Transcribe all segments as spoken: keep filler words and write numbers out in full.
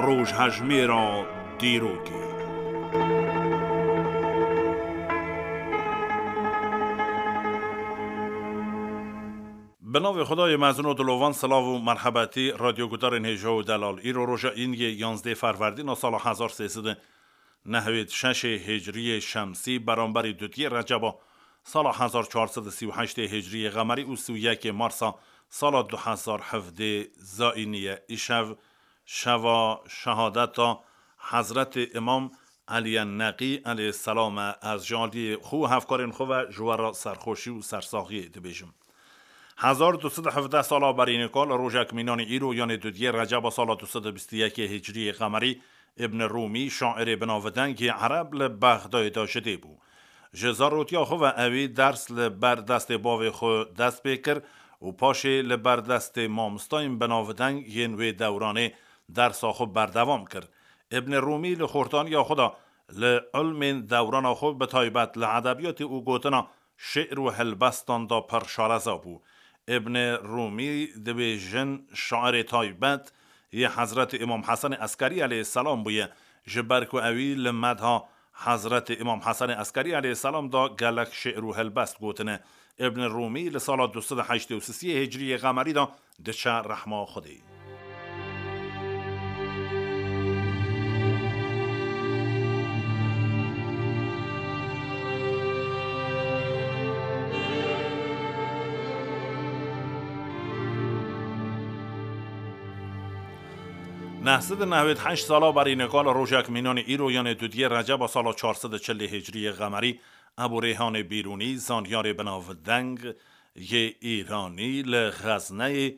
Rojhejmêra dîrokê. Bi navê Xwedayê mezin û dilovan, silav û merhebetî radyogudarên hêja û delal. Îro roja Îniyê yanzdeh Ferwerdîna sala hezar sê sed û nehwêd şeşê Hicriyê Şemsî, beramberî dudiyê Receba sala hezar çar sed û sî û heştê Hicriyê Qemerî û sî û yekê Marsa sala du hezar hevdê Zayînî ye. Îşev şeva şehadeta Hezretê Îmam Eliyên Neqî eleyhîsselam e. Ez ji aliyê xwe û hevkarên xwe ve ji we re serxweşî û sersaxiyê dibêjim. Hezar du sed û hevdeh sala berî nika li rojek mînanî îro, yanê dudiyê Receba sala du sed û bîst û yekê Hicriyê Qemerî, Îbn Rûmî, şairê binavdeng yê ereb, li Bexdayê de ji dê bû. Ji zarotiya xwe ve ewî ders li ber destê bavê xwe dest pê kir û paşê li ber destê mamostayên binavdeng yên wê dewranê dersa xwe berdewam kir. Îbn Rûmî li xortaniya xwe de li ilmên dewrana xwe, bi taybet li edebiyatê û gotina şi'r û helbestan de pir şareza bû. Îbn Rûmî dibêjin şairê taybet yê Hezretê Îmam Hesenê Eskerî eleyhîsselam bûye, ji ber ku ewî li medha Hezretê Îmam Hesenê Eskerî eleyhîsselam de gelek şi'r û helbest gotine. Îbn Rûmî li sala du sed û heştê û sisiyê Hicriyê Qemerî de diçe rehma Xwedê. Neh sed û nehwêd heşt sala berî nika li rojek mînanê îro, yanê dudiyê Receba sala çar sed û çilê Hicriyê Qemerî, Ebû Rêhanê Bîrûnî, zanyarê binavdeng yê Îranî, li Xezneyê,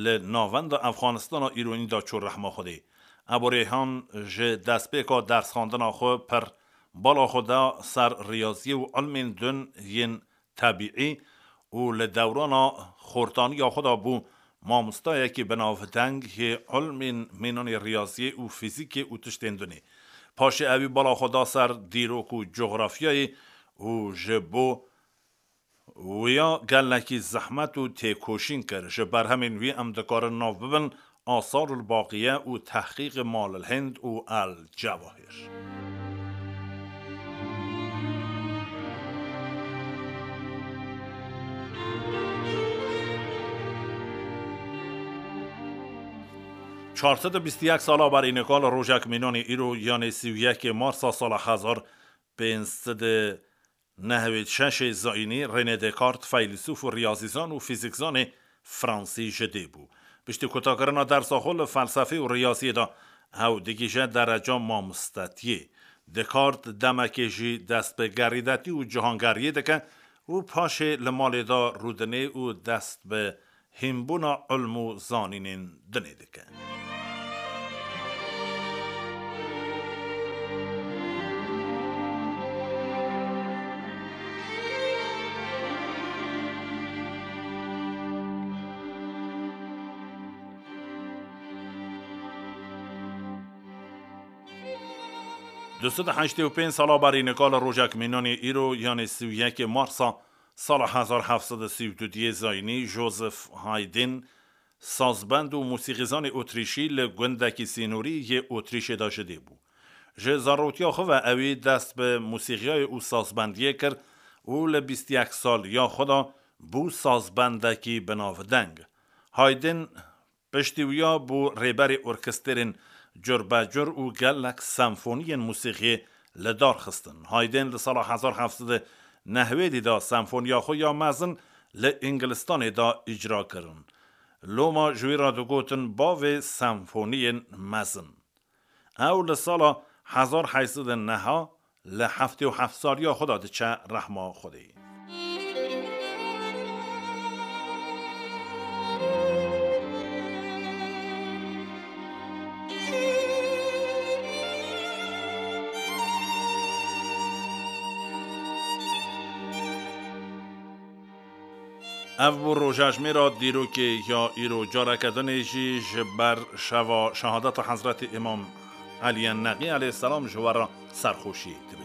li navenda Efxanistana îronî de çû rehma Xwedê. Ebû Rêhan ji destpêka dersxandina xwe pir bala xwe da ser riyaziyê û ilmên din yên tebîî û li dewrana xortaniya xwe de bû mamostayekî binavdeng yê ilmên mînanê riyaziyê û fîzîkê û tiştên dinê. Paşê ewî bala xwe da ser dîrok û cografyayê û ji bo wiya gelekî zehmet û têkoşîn kir. Ji berhemên wî em dikarin nav bibin Asarul Baqiye û Tehqîqê Malil Hind û El Cewahir. Çar sed û bîst û yek sala berî nika li rojek mînanê îro, yanê sî û yekê Marsa sala hezar pênc sed û nehwêd şeşê zayînî, René Descartes, feylesûf û riyazîzan û fîzîkzanê fransî ji dê bû. Piştî kutakirina dersa xwe li felsefê û riyaziyê de, ew digihîje dereca mamostetiyê. Descartes demekê jî dest bi gerîdetî û cihangeriyê dike û paşê li malê de rûdinê û dest bi hînbûna ilm û zanînên dinê dike. Du sed û heştê û pênc sala berî nika li rojek mînanê îro, yanê sî û yekê Marsa sala hezar heft sed û sî û du diyê zayînî, Joseph Haydn, sazbend û mûsîqîzanê Otrîşî, li gundekî sînorî yê Otrîşê de ji dê bû. Ji zarotiya xwe ve ewî dest bi mûsîqiyayê û sazbendiyê kir û li bîst û yek saliya xwe de bû sazbendekî binavdeng. Haydn piştî wiya bû rêberê orkestrên curbecur û gelek senfoniyên mûsîqiyê li dar xistin. Haydn li sala hezar heft sed û nehwêdî de senfoniya xwe ya mezin li Îngilistanê de îcra kirin. Loma ji wî re digotin bavê senfoniyên mezin. Ew li sala hezar heyt sed û neh li heftê û heft saliya xwe de diçe rehma Xwedê. Ev bû rojejmêra dîrokê ya îro. Careke dinê jî ji ber şeva şehadeta Hezretî Îmam Eliyên Neqî eleyhîsselam ji we re serxweşî dibêjim.